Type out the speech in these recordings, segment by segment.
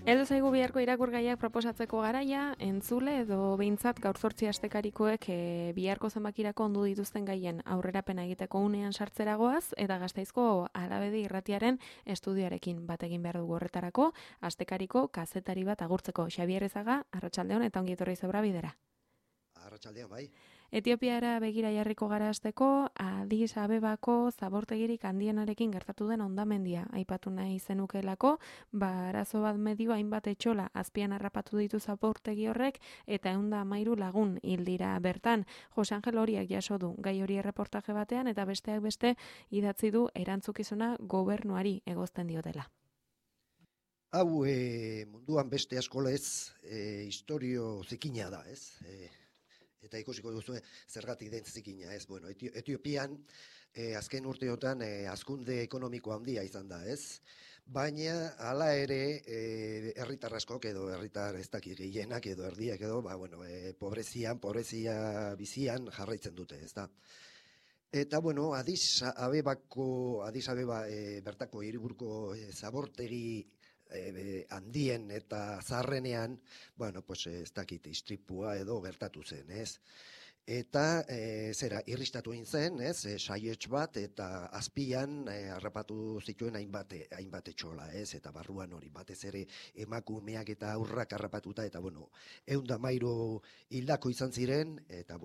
Heldu zaigu biharko irakurgaiak proposatzeko garaia, entzule edo behintzat gaur 8 astekarikoek biharko zenbakirako ondu dituzten gaien aurrerapena egiteko unean sartzeragoaz eta Gasteizko Alabedi Irratiaren estudioarekin bat egin behar dugu horretarako, astekariko kazetari bat agurtzeko. Xabier Ezaga, arratsaldeon eta ongi etorri Zebra bidera. Arratsaldeon, bai. Etiopiara begira jarriko gara hasteko, Addis Abebako zabortegirik handienarekin gertatu den hondamendia aipatu nahi zenukelako, arazo bat medio hainbat etxola azpian harrapatu ditu zabortegi horrek eta 113 lagun hil dira bertan. Jose Angel Horiak jaso du gai hori erreportaje batean eta besteak beste idatzi du erantzukizuna gobernuari egozten diotela. Hau munduan beste askolez historio zikina da, ez? Eta ikusiko duzu zergatik den zikina, ez? Bueno, Etiopian azken urteotan hazkunde ekonomiko handia izan da, ez? Baina hala ere herritar askok edo herritar ez dakit gehienak edo erdiak edo, pobrezia bizian jarraitzen dute, ez da? Eta bueno, Addis Abeba bertako hiriburuko zabortegi handien eta zaharrenean, ez dakit istripua edo gertatu zen, ez? Eta irristatu egin zen, ez? Saiets bat eta azpian harrapatu zituen hainbat etxola, ez? Eta barruan hori batez ere emakumeak eta aurrak harrapatuta eta 113 hildako izan ziren eta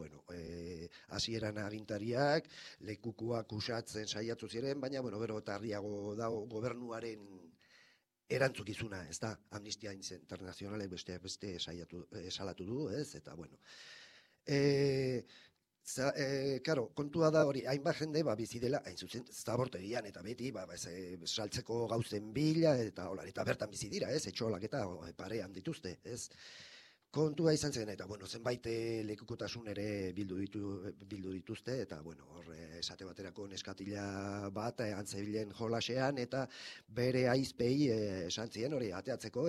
hasieran agintariak lekukoak usatzen saiatu ziren, baina gero eta argiago dago gobernuaren erantzukizuna, ez da, Amnistia Internazionalek beste salatu du, ez, eta Karo, kontua da hori, hainbat jende bizi dela, hain zuzen, zabortegian eta beti, saltzeko gauzen bila, eta bertan bizi dira, ez, etxolak eta parean dituzte, ez. Kontua izan zen, eta zenbait lekukotasun ere bildu dituzte, eta esate baterako neskatila bat antzebilen jolasean, eta bere aizpei esan zien hori ateatzeko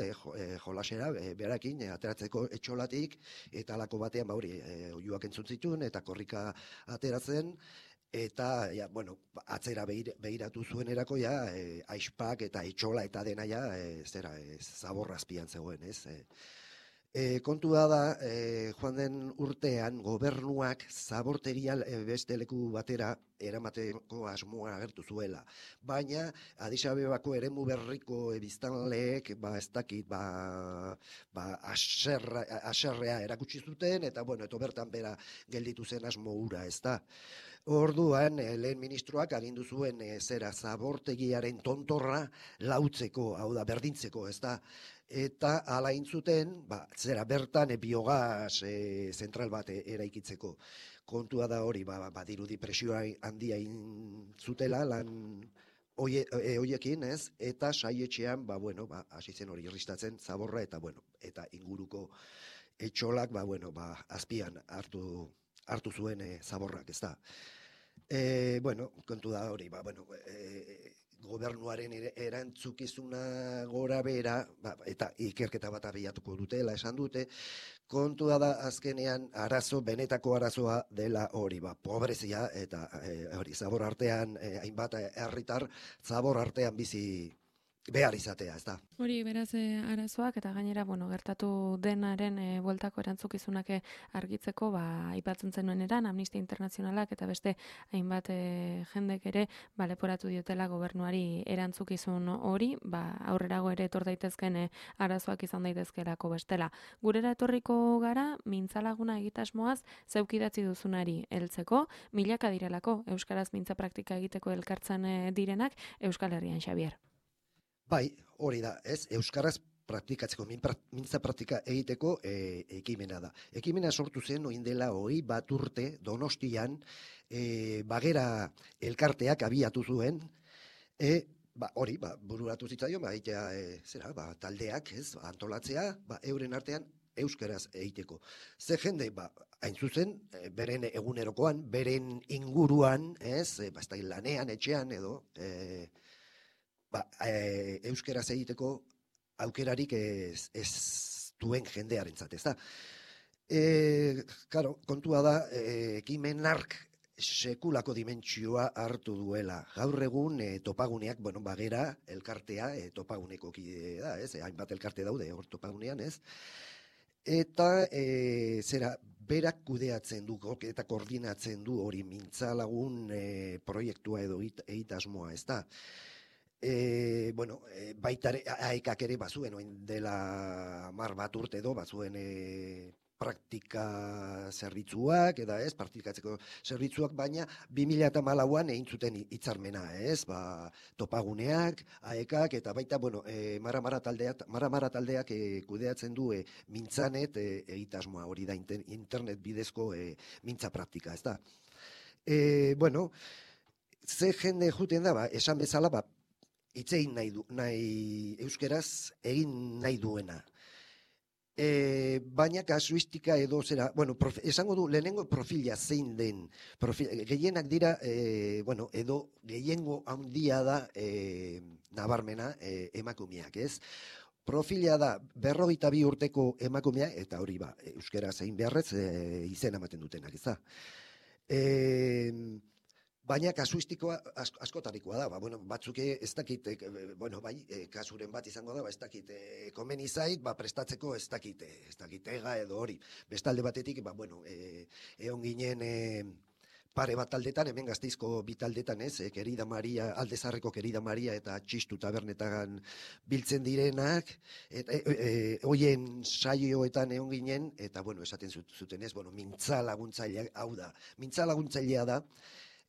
jolasera, berakin ateratzeko etxolatik, eta alako batean oiuak entzun zituen, eta korrika ateratzen, eta atzera behiratu zuen erako aizpak eta etxola eta dena zaborrazpian zegoen, ez? Kontua da, joan den urtean, gobernuak zabortegia beste leku batera eramateko asmoa agertu zuela. Baina, Addis Abebako eremu berriko biztanleek, ez dakit, aserrea erakutsi zuten, eta bertan bera gelditu zen asmo hura, ez da. Orduan, lehen ministroak agindu zuen zabortegiaren tontorra lautzeko, hau da, berdintzeko, ez da. Eta hala intzuten, bertan biogaz zentral bat eraikitzeko. Kontua da hori, badirudi presioa handia zutela lan hoiekin, ez? Eta saietxean, hasi zen hori irristatzen zaborra eta inguruko etxolak, azpian hartu zuen zaborrak, ez da. Kontu da hori, gobernuaren erantzukizuna gora bera, eta ikerketa bat abiatuko dutela esan dute, kontua da azkenean benetako arazoa dela hori, pobrezia eta hori zabor artean, hainbat herritar zabor artean bizi behar izatea, ez da. Hori beraz arazoak eta gainera gertatu denaren bueltako erantzukizunak argitzeko aipatzen zenuen eran Amnistia Internazionalak eta beste hainbat jendek ere leporatu diotela gobernuari erantzukizun hori, aurrerago ere etor daitezken arazoak izan daitezkelako bestela. Gurera etorriko gara mintzalaguna egitasmoaz zeuk idatzi duzunari heltzeko, milaka direlako euskaraz mintza praktika egiteko elkartzen direnak Euskal Herrian, Xabier. Bai, hori da, ez? Euskaraz praktikatzeko, mintza praktika egiteko ekimena da. Ekimena sortu zen oin dela 21 urte Donostian Bagera elkarteak abiatu zuen, hori, bururatu zitzaion, taldeak, ez, antolatzea, euren artean euskaraz egiteko. Ze jende, hain zuzen, beren egunerokoan, beren inguruan, ez, lanean, etxean edo, euskeraz egiteko aukerarik ez duen jendearentzat, ez da. Kontua da, ekimen hark sekulako dimentsioa hartu duela. Gaur egun topaguneak, bueno, bagera elkartea topaguneko kide da, ez? Hainbat elkarte daude hor topagunean, ez? Eta zera, berak kudeatzen du eta koordinatzen du hori mintzalagun proiektua edo egitasmoa, ez da? Bueno, baita aekak ere bazuen, oin dela 10 bat urte edo, bazuen praktika zerbitzuak, eta ez, praktikatzeko zerbitzuak, baina 2014an egin zuten hitzarmena, ez, topaguneak, aekak, eta baita, bueno, Mara taldeak kudeatzen du mintzanet egitasmoa, hori da internet bidezko mintza praktika, ez da. Bueno, ze jende juten da, esan bezala, hitzein nahi euskeraz egin nahi duena. Baina kasuistika edo zera, bueno, esango du lehenengo profila zein den, gehienak dira, bueno, edo gehiengo handia da nabarmena emakumeak, ez? Profila da 42 urteko emakumea, eta hori euskera zein beharrez izena ematen dutenak, ez da? Baina kasuistikoa askotarikoa da, bueno, batzuk ez dakit, bueno, bai, kasuren bat izango da, ez dakit, komeni zait, prestatzeko ez dakit ega edo hori. Bestalde batetik, bueno, egon ginen pare bat taldetan, hemen Gasteizko bi taldetan, ez, Kerida Maria, Aldezarreko Kerida Maria eta Txistu tabernetan biltzen direnak, hoien saioetan egon ginen, eta, bueno, esaten zuten ez, bueno, mintza laguntzailea, hau da, mintza laguntzailea da,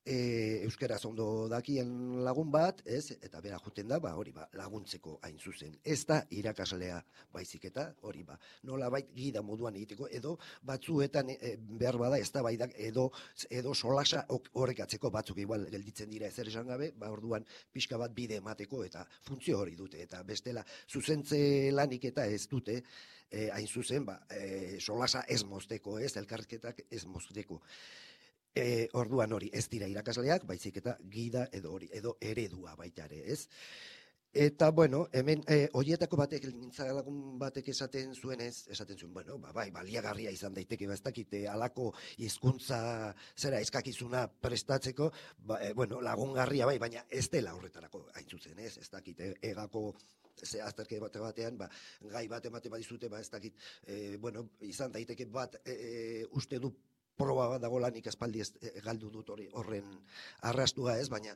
euskaraz ondo dakien lagun bat, ez, eta bera juten da, hori laguntzeko hain zuzen. Ez da irakaslea baizik eta hori nolabait gida moduan egiteko, edo batzuetan behar bada ez da baidak, edo solasa horrekatzeko batzuk igual gelditzen dira ezer esan gabe, orduan pixka bat bide emateko eta funtzio hori dute, eta bestela zuzentze lanik eta ez dute, hain zuzen, solasa ez mozteko, ez, elkarrizketak ez mozteko. Orduan hori ez dira irakasleak, baizik eta gida edo hori, edo eredua baita ere, ez? Eta, bueno, hemen, horietako batek, mintzalagun batek esaten zuen, bueno, bai, baliagarria izan daiteke, ez dakit, alako hizkuntza zera eskakizuna prestatzeko, bueno, lagungarria bai, baina ez dela horretarako hain zuzen, ez dakit, egako azterke batean, gai bat emate badizute, ez dakit, bueno, izan daiteke bat, uste du proba bat dago lanik aspaldi galdu dut horren arrastua ez, baina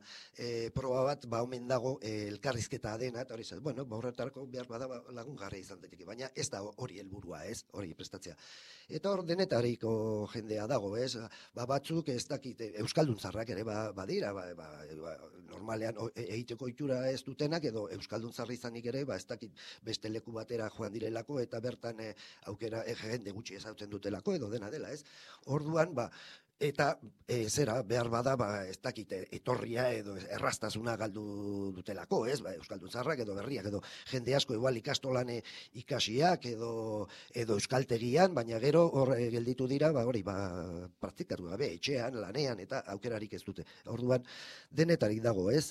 proba bat omen dago elkarrizketa dena, eta hori zaz, bueno, horretarako behar bada lagungarria izan daiteke, baina ez da hori helburua ez, hori prestatzea. Eta hor denetariko jendea dago ez, batzuk ez dakit, euskalduntzarrak ere badira, normalean egiteko itxura ez dutenak, edo euskalduntzarra izanik ere, ez dakit beste leku batera joan direlako, eta bertan aukera jende gutxi ezautzen dutelako, edo dena dela ez. Orduan, eta zera, behar bada, ez dakit, etorria edo erraztasuna galdu dutelako, ez? Euskalduntzarrak edo berriak, edo jende asko igual ikastolan ikasiak edo euskaltegian, baina gero hor gelditu dira, hori, praktikatu gabe, etxean, lanean, eta aukerarik ez dute. Orduan, denetarik dago, ez?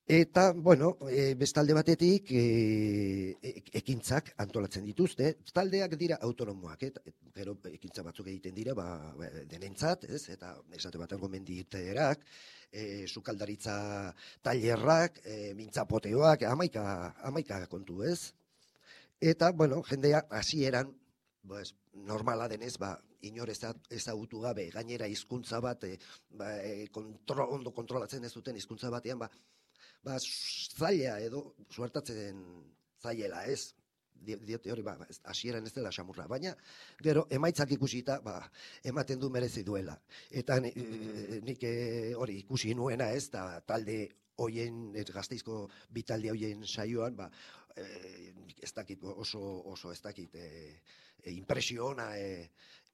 Eta, bueno, bestalde batetik ekintzak antolatzen dituzte, taldeak dira autonomoak, gero ekintza batzuk egiten dira, denentzat, ez, eta esate batean gomenditerak, sukaldaritza tailerrak, mintzapoteoak, hamaika kontu, ez? Eta, bueno, jendea hasieran, normala denez, inor ezagutu gabe, gainera hizkuntza bat, ondo kontrolatzen ez duten hizkuntza batean, zaila edo suertatzen zailela, ez? Diote hori, hasieran ez dela xamurra, baina gero emaitzak ikusita, ematen du merezi duela. Eta nik hori ikusi nuena, ez, da talde hoien, Gasteizko bi talde hoien saioan, ez dakit oso ez dakit impresio ona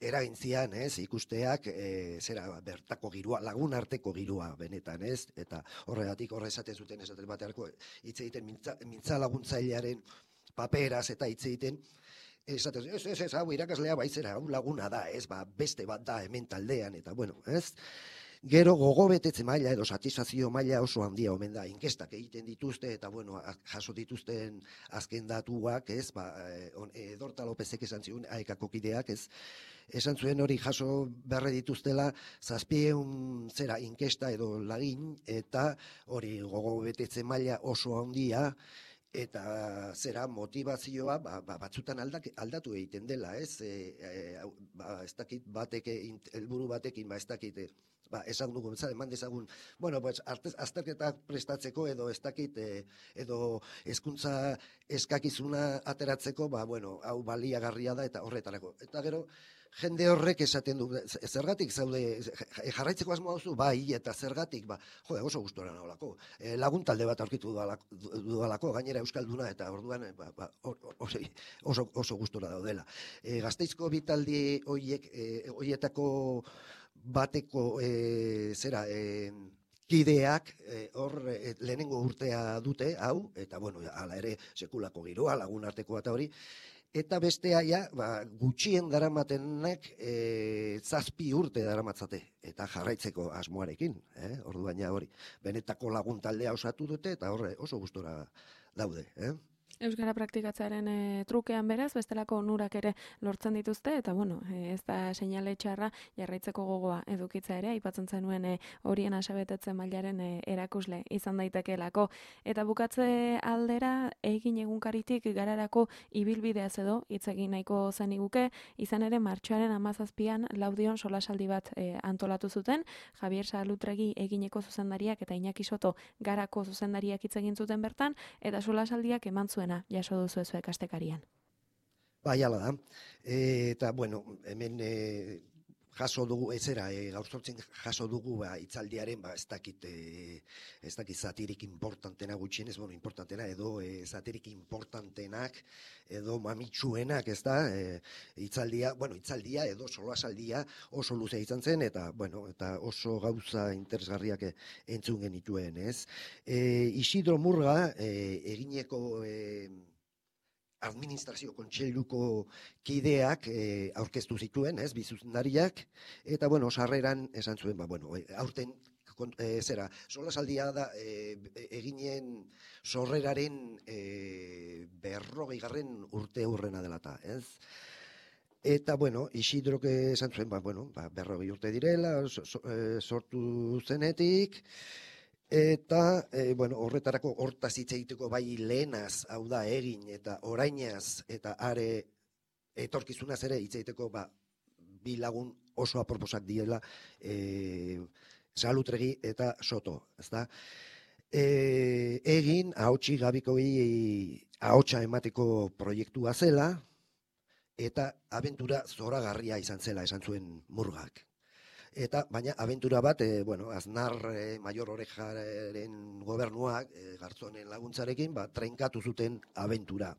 eragintzian, ez, ikusteak, zera, bertako girua, lagun arteko girua benetan, ez, eta horregatik esaten zuten esaten batearko, hitz egiten mintza laguntzailearen paperaz eta hitz egiten, esaten zuten, ez, hau irakaslea baizera, hau laguna da, ez, beste bat da hemen taldean, eta bueno, ez, Gero gogobetetze maila edo satisfazio maila oso handia omen da. Inkestak egiten dituzte eta bueno, jaso dituzten azken datuak, ez? Dorta Lopezek esan zion AEKako kideak, ez? Esan zuen hori jaso berre dituztela 700 zera inkesta edo lagin eta hori gogobetetze maila oso handia eta zera motivazioa batzutan aldatu egiten dela, ez? Ez dakit helburu batekin, ez dakit esan dugu, eman dezagun, bueno, azterketak prestatzeko edo ez dakit, edo hezkuntza eskakizuna ateratzeko, bueno, hau baliagarria da eta horretarako. Eta gero, jende horrek esaten du, zergatik zaude, jarraitzeko asmoa duzu, bai, eta zergatik, oso gustora naholako. Lagun talde bat aurkitu dudalako, gainera euskalduna, eta orduan oso gustora daudela. Gasteizko bitaldi hoietako bateko kideak hor lehenengo urtea dute, hau, eta bueno, hala ere sekulako giroa, lagun artekoa eta hori, eta bestea ja, gutxien daramatenek 7 urte daramatzate, eta jarraitzeko asmoarekin, orduan ja hori, benetako lagun taldea osatu dute, eta horre oso gustora daude, Euskara praktikatzearen trukean beraz, bestelako onurak ere lortzen dituzte, eta bueno, ez da seinale txarra jarraitzeko gogoa edukitza ere, aipatzen zenuen horien asabetetzen mailaren erakusle izan daitekeelako. Eta bukatze aldera, egin egunkaritik gararako ibilbideaz edo, hitz egin nahiko zen iguke, izan ere martxoaren 17an Laudion solasaldi bat antolatu zuten, Javier Salutregi egineko zuzendariak eta Iñaki Soto garako zuzendariak hitz egin zuten bertan, eta solasaldiak eman zuen jaso duzu zuek astekarian. Bai, hala da. Eta, bueno, hemen jaso dugu, gaur sortzen jaso dugu hitzaldiaren, ez dakit zatirik importantena gutxienez, bueno, importantena, edo zatirik importantenak, edo mamitsuenak, ez da, hitzaldia edo solasaldia oso luze izan zen, eta, bueno, eta oso gauza interesgarriak entzun genituen, ez? Isidro Murga, egineko administrazio kontseiluko kideak aurkeztu zituen, ez, bi zuzendariak, eta, bueno, sarreran esan zuen, aurten, solasaldia da eginen sorreraren 40. urte hurrena dela eta, ez? Eta, bueno, Isidrok esan zuen, 40 urte direla, sortu zenetik, eta, horretarako hortaz hitz egiteko bai lehenaz, hau da, egin eta orainaz, eta are etorkizunaz ere hitz egiteko bi lagun oso aproposak diela, Salutregi eta Soto, ezta? Egin, ahotsi gabikoi ahotsa emateko proiektua zela, eta abentura zoragarria izan zela, esan zuen Murgak. Eta, baina, abentura bat, Aznar Maior Orejaren gobernuak, Gartzonen laguntzarekin, trenkatu zuten abentura.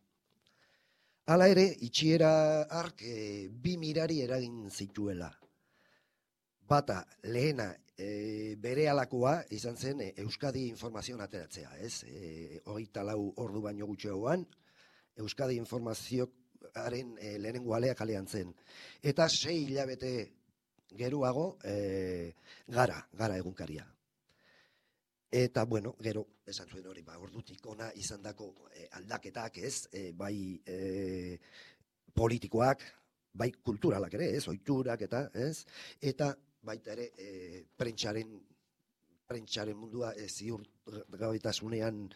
Hala ere, itxiera hark 2 mirari eragin zituela. Bata, lehena, bere alakoa izan zen Euskadi informazioan ateratzea, ez? 24 ordu baino gutxiagoan, Euskadi informazioaren lehenengo alea kalean zen. Eta 6 hilabete geroago gara egunkaria. Eta, bueno, gero, esan zuen hori, ordutik ona izandako aldaketak, ez, bai politikoak, bai kulturalak ere, ez, ohiturak eta, ez, eta baita ere prentsaren mundua ziurgabetasunean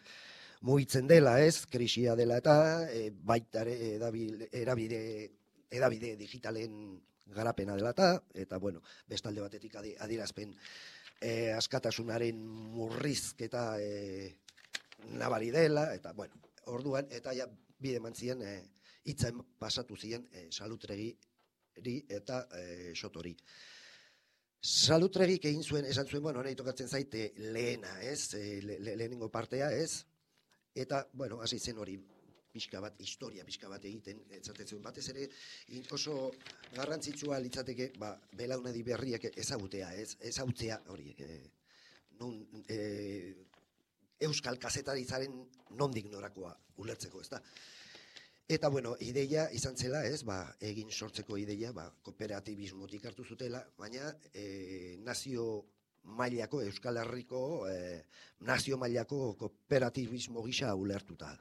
mugitzen dela, ez, krisia dela eta baita ere edabide digitalen garapena dela eta, bueno, bestalde batetik adierazpen askatasunaren murrizketa nabari dela, eta, bueno, orduan, eta ja bide mantzien hitza pasatu ziren Salutregiri eta Sotori. Salutregik egin zuen, esan zuen, nahi tokatzen zaite lehena, ez, lehenengo partea, ez, eta, bueno, hasi zen hori, historia pixka bat egiten, etzatetzen batez ere, oso garrantzitsua litzateke, belaunaldi berriak ezagutzea, hori, euskal kazetaritzaren nondik norakoa ulertzeko, ez da. Eta, bueno, ideia izan zela, ez, egin sortzeko ideia, kooperatibismotik hartu zutela, baina nazio mailako, Euskal Herriko nazio mailako kooperatibismo gisa ulertuta.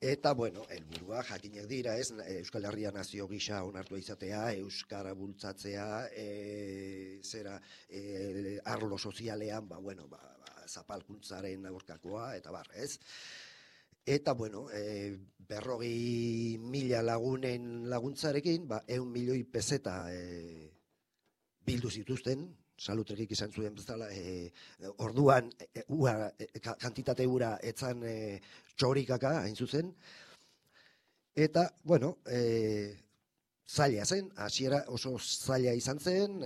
Eta, bueno, helburua jakinak dira, ez, Euskal Herria nazio gisa onartua izatea, euskara bultzatzea, arlo sozialean, zapalkuntzaren aurkakoa, eta ez. Eta, bueno, 40.000 lagunen laguntzarekin, 100 milioi peseta bildu zituzten, Salutregik izan zuen bezala, orduan kantitate ura etzan txorikaka, hain zuzen. Eta, bueno, zaila zen, hasiera oso zaila izan zen,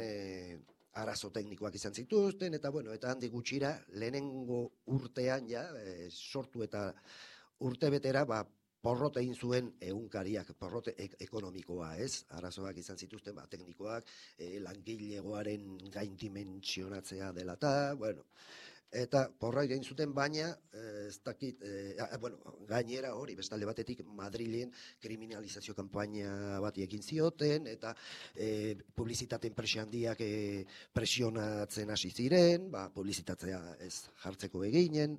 arazo teknikoak izan zituzten, eta, bueno, eta handik gutxira, lehenengo urtean, sortu eta urtebetera, porrote egin zuen egunkariak, porrote ekonomikoa, ez? Arazoak izan zituzten, teknikoak, langilegoaren gaindimentsionatzea dela eta, bueno, eta porra egin zuten, baina, ez dakit, gainera hori, bestalde batetik, Madrilen kriminalizazio kanpaina bat egin zioten, eta publizitate enpresa handiak presionatzen hasi ziren, publizitatzea ez jartzeko eginen,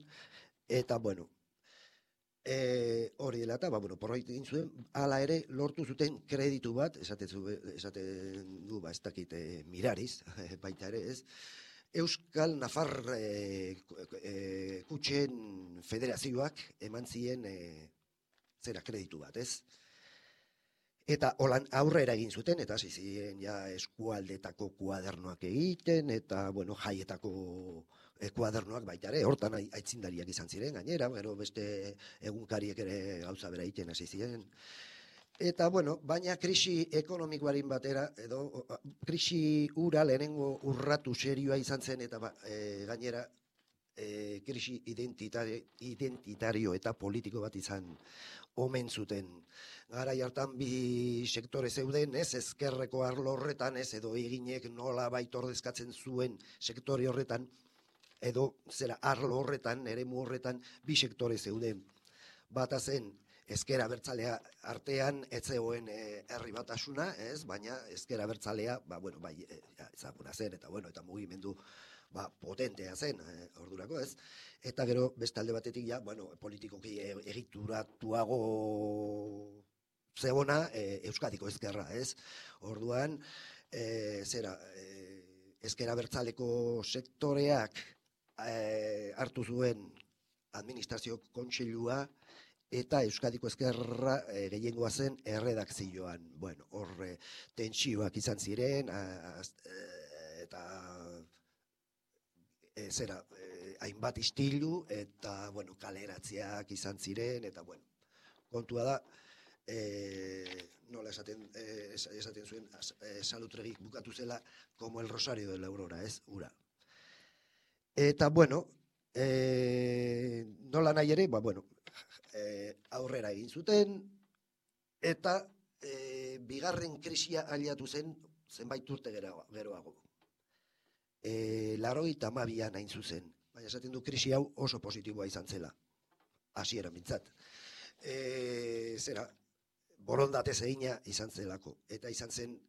eta, bueno, hori dela eta, porroit egin zuen, hala ere lortu zuten kreditu bat, esaten du, ez dakit, Mirariz, baita ere, ez, Euskal Nafar Kutxen Federazioak eman zien kreditu bat, ez? Eta holan aurrera egin zuten, eta hasi ziren eskualdetako kuadernoak egiten, eta, bueno, jaietako kuadernoak baita ere, hortan aitzindariak izan ziren, gainera, gero beste egunkariek ere gauza bera egiten hasi ziren. Eta, bueno, baina krisi ekonomikoaren batera, edo krisi ura lehenengo urratu serioa izan zen, eta gainera krisi identitario eta politiko bat izan omen zuten. Garai hartan bi sektore zeuden, ez, ezkerreko arlo horretan, ez, edo eginek nola baitordezkatzen zuen sektore horretan, edo arlo horretan, eremu horretan, bi sektore zeuden. Bata zen, ezker abertzalea artean etzegoen herri batasuna, ez, baina ezker abertzalea, ezaguna zen, eta bueno, eta mugimendu potentea zen, ordurako, ez, eta gero bestalde batetik politikoki egituratuago zegona Euskadiko ezkerra, ez, orduan, ezker abertzaleko sektoreak hartu zuen administrazio kontseilua, eta Euskadiko ezkerra gehiengoa zen erredakzioan. Bueno, horre tentsioak izan ziren, eta hainbat istilu, eta, bueno, kaleratziak izan ziren, eta, bueno, kontua da, nola esaten zuen, Salutregik bukatu zela, como el Rosario de la Aurora, ez, ura. Eta, bueno, nola nahi ere, aurrera egin zuten, eta bigarren krisia aliatu zen zenbait urte geroago. 82an hain zuzen, baina esaten du krisi hau oso positiboa izan zela, hasieran mintzat. Borondate egina izan zelako, eta izan zen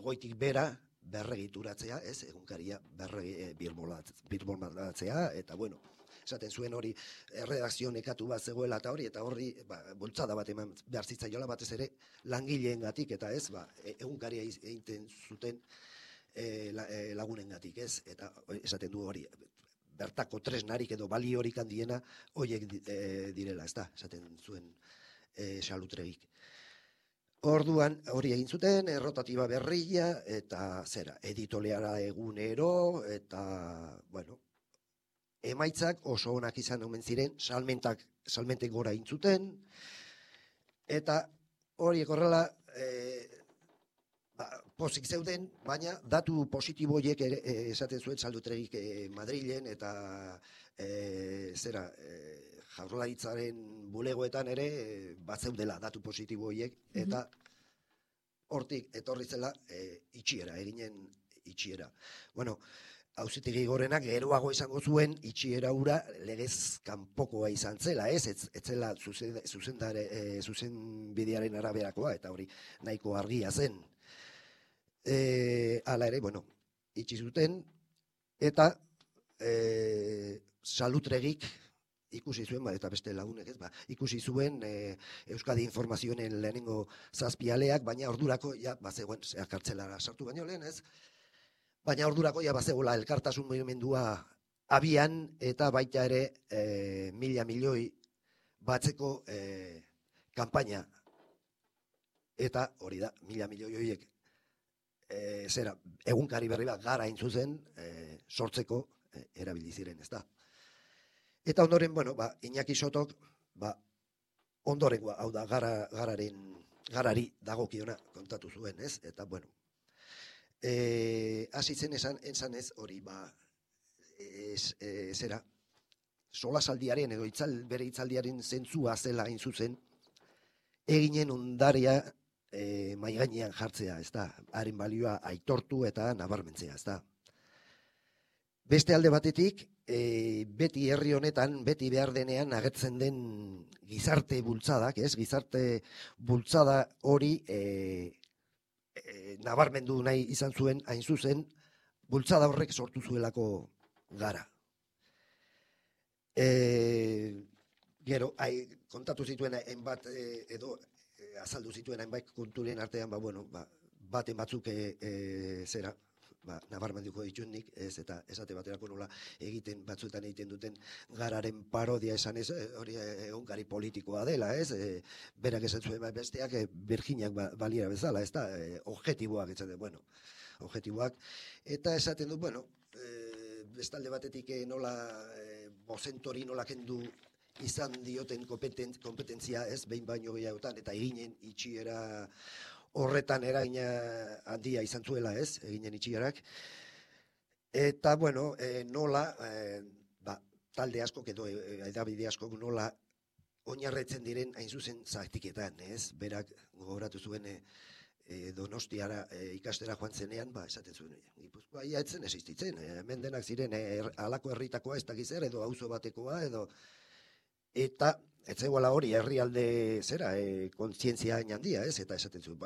goitik bera berregituratzea, ez, egunkaria birmoldatzea, eta bueno, esaten zuen hori erredakzio nekatu bat zegoela eta hori bultzada bat eman behar zitzaiola batez ere langileengatik, eta ez, egunkaria egiten zuten lagunengatik, ez, eta esaten du hori, bertako tresnarik edo baliorik handiena horiek direla, ez da, esaten zuen Salutregik. Orduan hori egin zuten, errotatiba berria, eta editoleara egunero, eta, bueno, emaitzak oso onak izan omen ziren, salmentek gora egin zuten, eta horiek horrela pozik zeuden, baina datu positiboiek esaten zuen Salutregik Madrilen, eta Jaurlaritzaren bulegoetan ere bat zeudela datu positibo horiek, eta hortik etorri zela itxiera, eginen itxiera. Bueno, Auzitegi Gorenak geroago izango zuen itxiera hura legez kanpokoa izan zela, ez zela zuzenbidearen araberakoa, eta hori nahiko argia zen. Hala ere, bueno, itxi zuten, eta Salutregik ikusi zuen, eta beste lagunek ez, ikusi zuen Euskadi Informazioen lehenengo zazpialeak, baina ordurako, ja, bazegoen, kartzelara sartu baino lehen, ez? Baina ordurako, ja, bazegoela elkartasun mugimendua abian, eta baita ere 1.000 milioi batzeko kanpaina. Eta hori da, 1.000 milioi horiek zera, egunkari berri bat gara intzuzen sortzeko erabili ziren, ez da. Eta ondoren, bueno, Iñaki Sotok, ondorengoa, hau da, garari dagokiona kontatu zuen, ez? Eta, bueno, hasi zen esan ez hori, zera, solasaldiaren edo bere hitzaldiaren zentzua zela hain zuzen, eginen ondaria mai gainean jartzea, ez da, haren balioa aitortu eta nabarmentzea, ez da. Beste alde batetik, beti herri honetan, beti behar denean agertzen den gizarte bultzadak, ez? Gizarte bultzada hori nabarmendu nahi izan zuen, hain zuzen, bultzada horrek sortu zuelako gara. Gero, kontatu zituen hainbat edo azaldu zituen hainbat konturen artean, baten batzuk zera, nabarmenduko dituenik, ez, eta esate baterako nola batzuetan egiten duten gararen parodia esan ez, hori egunkari politikoa dela, ez, berak esan zuen besteak berginak baliera bezala, ez da, objektiboak, objektiboak, eta esaten du, bestalde batetik nola bozentori nola kendu izan dioten kompetentzia, ez, behin baino gehiagotan, eta eginen itxiera horretan eragina handia izan zuela, ez, eginen itxierak. Eta, nola, talde askok edo edabide askok nola oinarretzen diren hain zuzen zaktiketan, ez, berak gogoratu zuen Donostiara ikastera joan zenean, esaten zuen, Gipuzkoa ia etzen existitzen, hemen denak ziren halako herritakoa ez dakiz zer, edo auzo batekoa, edo, eta ez zegoela hori herrialde zera, kontzientzia handia, ez, eta esaten zuen,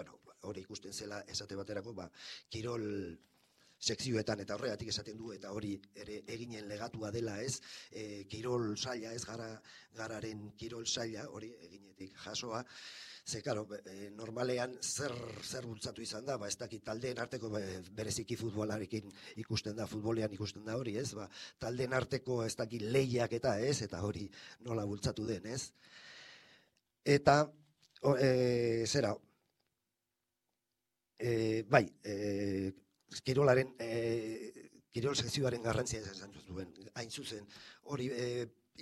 hori ikusten zela esate baterako, kirol sekzioetan eta horregatik esaten du, eta hori ere eginen legatua dela, ez, kirol saila, ez, gararen kirol saila, hori eginetik jasoa, ze, karo, normalean zer bultzatu izan da, ez dakit taldeen arteko, bereziki futbolarekin ikusten da, futbolean ikusten da hori, ez, taldeen arteko ez dakit lehiak eta hori nola bultzatu den, ez. Eta, zera, kirolaren, kirol sekzioaren garrantzia esan zuen, hain zuzen, hori,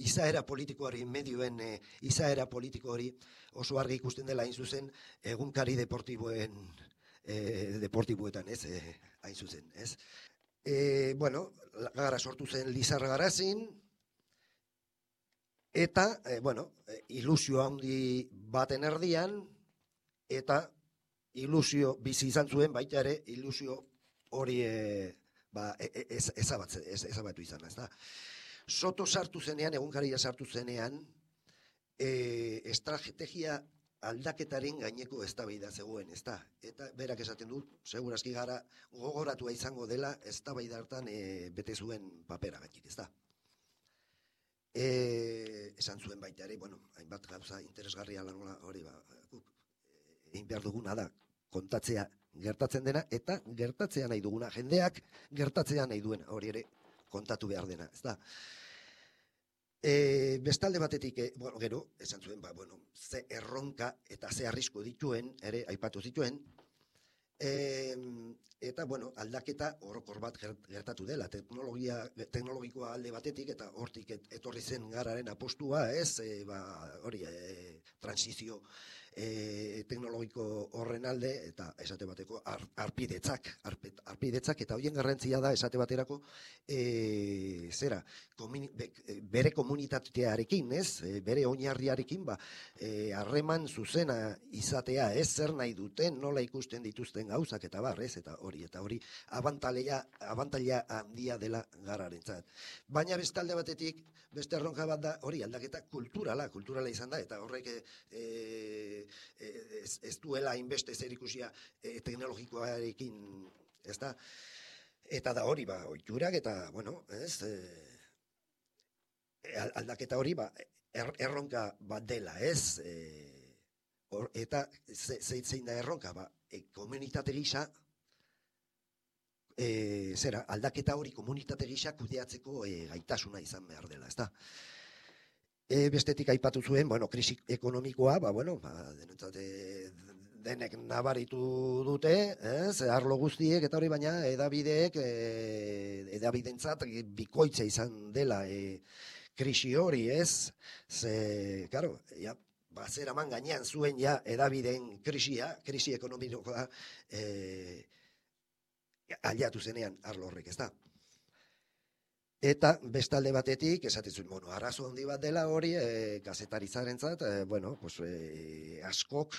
izaera politikoari, medioen izaera politiko hori oso argi ikusten dela hain zuzen egunkari deportiboetan, ez, hain zuzen, ez. Gara sortu zen Lizarra Garazin, eta, ilusio handi baten erdian, eta ilusio bizi izan zuen baita ere, ilusio hori ezabatu izan, ez da. Soto sartu zenean, egunkaria sartu zenean, estrategia aldaketaren gaineko eztabaida zegoen, ez da. Eta berak esaten du, segurazki gara gogoratua izango dela eztabaida hartan bete zuen papera gaitik, ez da. Esan zuen baita ere, hainbat gauza interesgarria lan hori, egin behar duguna da, kontatzea gertatzen dena, eta gertatzea nahi duguna, jendeak gertatzea nahi duena, hori ere kontatu behar dena, ez da. Bestalde batetik, gero, esan zuen, ze erronka eta ze arrisku dituen, ere, aipatu zituen, eta, aldaketa orokor bat gertatu dela, teknologikoa alde batetik, eta hortik etorri zen gararen apostua, ez, hori, transizio teknologiko horren alde, eta esate bateko arpidetzak, eta horien garrantzia da esate baterako zera, bere komunitatearekin, ez, bere oinarriarekin, harreman zuzena izatea, ez, zer nahi duten, nola ikusten dituzten gauzak, eta ez, eta hori abantaila handia dela gararentzat. Baina bestalde batetik, beste erronka bat da, hori aldaketa kulturala izan da, eta horrek ez duela hainbeste zer ikusia teknologikoarekin, ez da. Eta da hori, ohiturak eta, bueno, ez, aldaketa hori, erronka bat dela, ez, eta zein da erronka, komunitate gisa, aldaketa hori komunitate gisa kudeatzeko gaitasuna izan behar dela, ezta? Bestetik aipatu zuen, bueno, krisi ekonomikoa, denentzat denek nabaritu dute, arlo guztiek, eta hori baina edabidentzat bikoitza izan dela krisi hori, ez? Ze, karo, zeraman gainean zuen edabideen krisi ekonomikoa aliatu zenean arlo horrek, ez da? Eta bestalde batetik, esaten zuen, arazo handi bat dela hori, gazetarizarentzat, askok,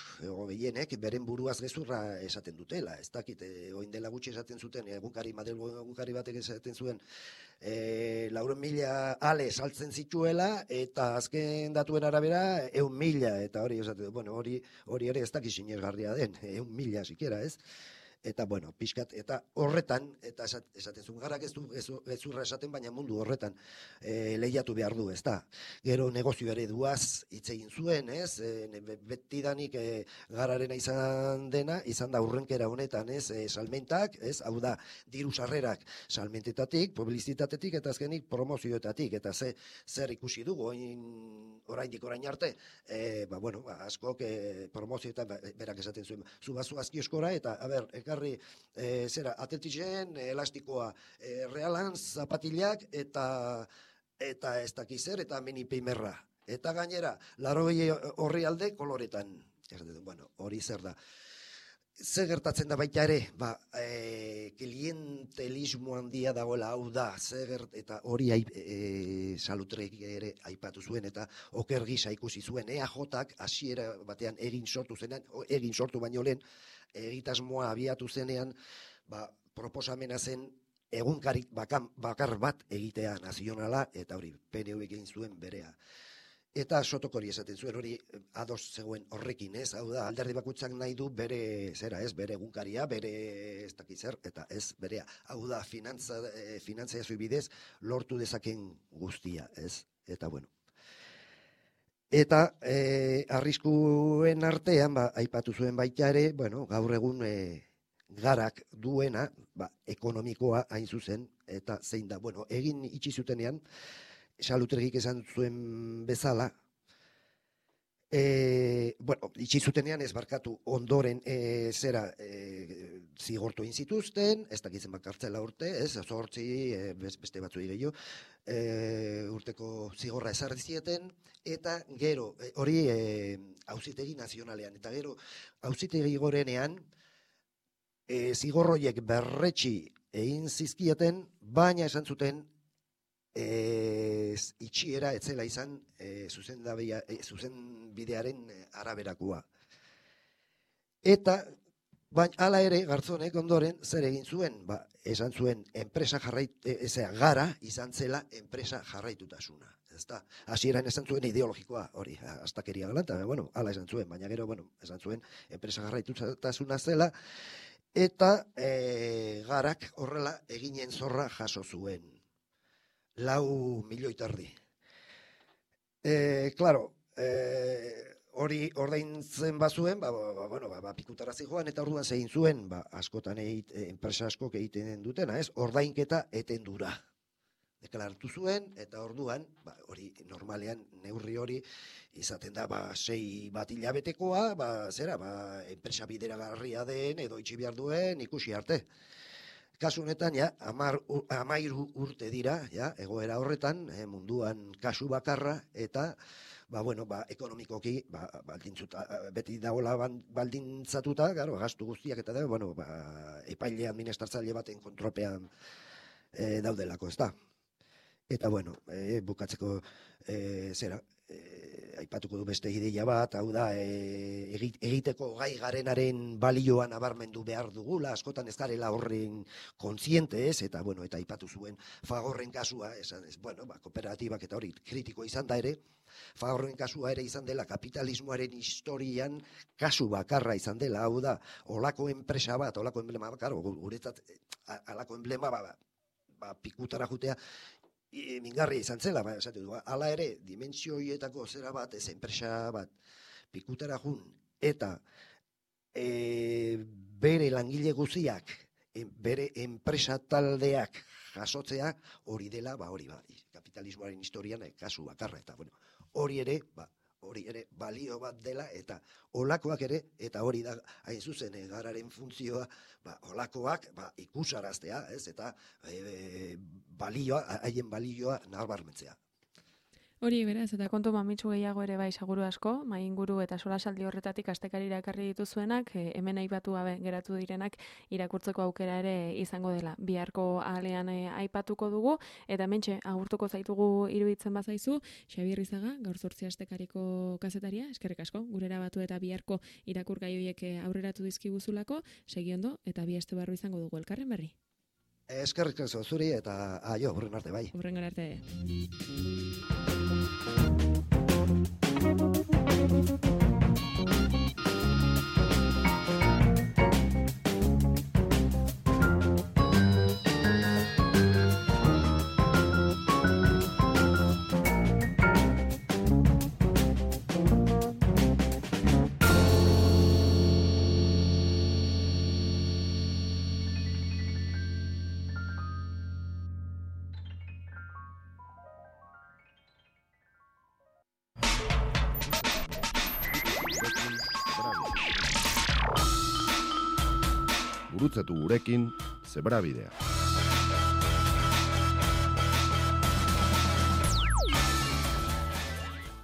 gehienek, beren buruaz gezurra esaten dutela. Ez dakit, oin dela gutxi esaten zuten, Madrilgo egunkari batek esaten zuen, 400.000 ale saltzen zituela, eta azken datuen arabera, 100.000, eta hori esaten, hori ere ez dakit sinesgarria den, 100.000 sikiera, ez? Eta, pixkat, eta horretan, eta esaten zuen garak ez du gezurra esaten, baina mundu horretan lehiatu behar du, ez da. Gero negozio ere duaz hitz egin zuen, ez? Betidanik gararena izan dena, izan da urrenkera honetan, ez? Salmentak, ez? Hau da, diru sarrerak salmentetatik, publizitatetik, eta azkenik promozioetatik, eta zer ikusi dugu, orain arte, askok promozioetan berak esaten zuen, zubazu azkioskora, eta, atletixen, elastikoa, realan, zapatilak, eta ez dakiz zer, eta minipimerra. Eta gainera, 80 horri alde koloretan. Hori zer da. Zer gertatzen da baita ere, klientelismo handia dagoela, hau da, eta hori Salutrek ere aipatu zuen, eta oker gisa ikusi zuen, EAJak hasiera batean egin sortu baino lehen, egitasmoa abiatu zenean, proposamena zen egunkarik bakar bat egitea nazionala, eta hori PNV egin zuen berea. Eta Sotok hori esaten zuen, hori ados zegoen horrekin, ez? Hau da, alderdi bakoitzak nahi du bere egunkaria, bere ez dakiz zer, eta ez berea. Hau da, finantzazio bidez lortu dezaken guztia, ez? Eta Eta arriskuen artean, aipatu zuen baita ere, gaur egun garak duena, ekonomikoa hain zuzen, eta zein da, egin itxi zutenean, Salutregik esan zuen bezala, itxi zutenean ez barkatu ondoren zigortu egin zituzten, ez dakitzen kartzela urte, ez, 8, beste batzuei gehiago, urteko zigorra ezarri zieten, eta gero, hori auzitegi nazionalean, eta gero auzitegi gorenean, zigorroiek berretsi egin zizkieten, baina esan zuten, itxiera etzela izan zuzenbidearen araberakoa. Eta, hala ere, Garzonek ondoren zer egin zuen, esan zuen gara izan zela enpresa jarraitutasuna. Hasieran esan zuen ideologikoa, hori, astakeria galanta, hala esan zuen, baina gero, esan zuen enpresa jarraitutasuna zela, eta garak horrela eginen zorra jaso zuen. 4 milioi terdi. Hori ordaintzen bazuen, pikutara zijoan, eta orduan zegin zuen, askotan enpresa askok egiten dutena, ez? Ordainketa etendura. Deklaratu zuen, eta orduan, hori normalean neurri hori izaten da, 6 bat hilabetekoa, enpresa bideragarria den, edo itxi behar duen, ikusi arte. Kasu honetan, 13 urte dira, egoera horretan, munduan kasu bakarra, eta, ekonomikoki, beti dagoela baldintzatuta, gastu guztiak eta da, epaile administratzaile baten kontrolpean daudelako, ez da. Eta, bukatzeko, aipatuko du beste ideia bat, hau da, egiteko gai garenaren balioa nabarmendu behar dugula, askotan ez garela horren kontziente ez, eta aipatu zuen Fagorren kasua, kooperatibak eta hori kritiko izan da ere, Fagorren kasua ere izan dela kapitalismoaren historian kasu bakarra izan dela, hau da, olako enpresa bat, olako enblema bat, guretzat, alako enblema pikutara jutea, mingarria izan zela, hala ere, dimentsio hietako zera bat, ez enpresa bat, pikutara jun, eta bere langile guziak, bere enpresa taldeak jasotzea, hori dela, kapitalismoaren historian kasu bakarra, eta hori ere balio bat dela, eta olakoak ere, eta hori da, hain zuzen, gararen funtzioa, olakoak ikusaraztea, ez, eta haien balioa nabarmentzea. Hori beraz, eta kontu mamitsu gehiago ere bai seguru asko, mainguru eta solasaldi horretatik astekarira ekarri dituzuenak, hemen aipatu gabe geratu direnak irakurtzeko aukera ere izango dela. Biharko ahalean aipatuko dugu, eta hementxe agurtuko zaitugu iruditzen bazaizu, Xabier Izaga, gaur 8 astekariko kazetaria, eskerrik asko, gurera batu eta biharko irakurgai horiek aurreratu dizkiguzulako, segi ondo, eta bi aste barru izango dugu elkarren berri. Eskerrik asko zuri eta aio, hurren arte bai. Hurren arte. Gurutzatu gurekin Zebrabidea.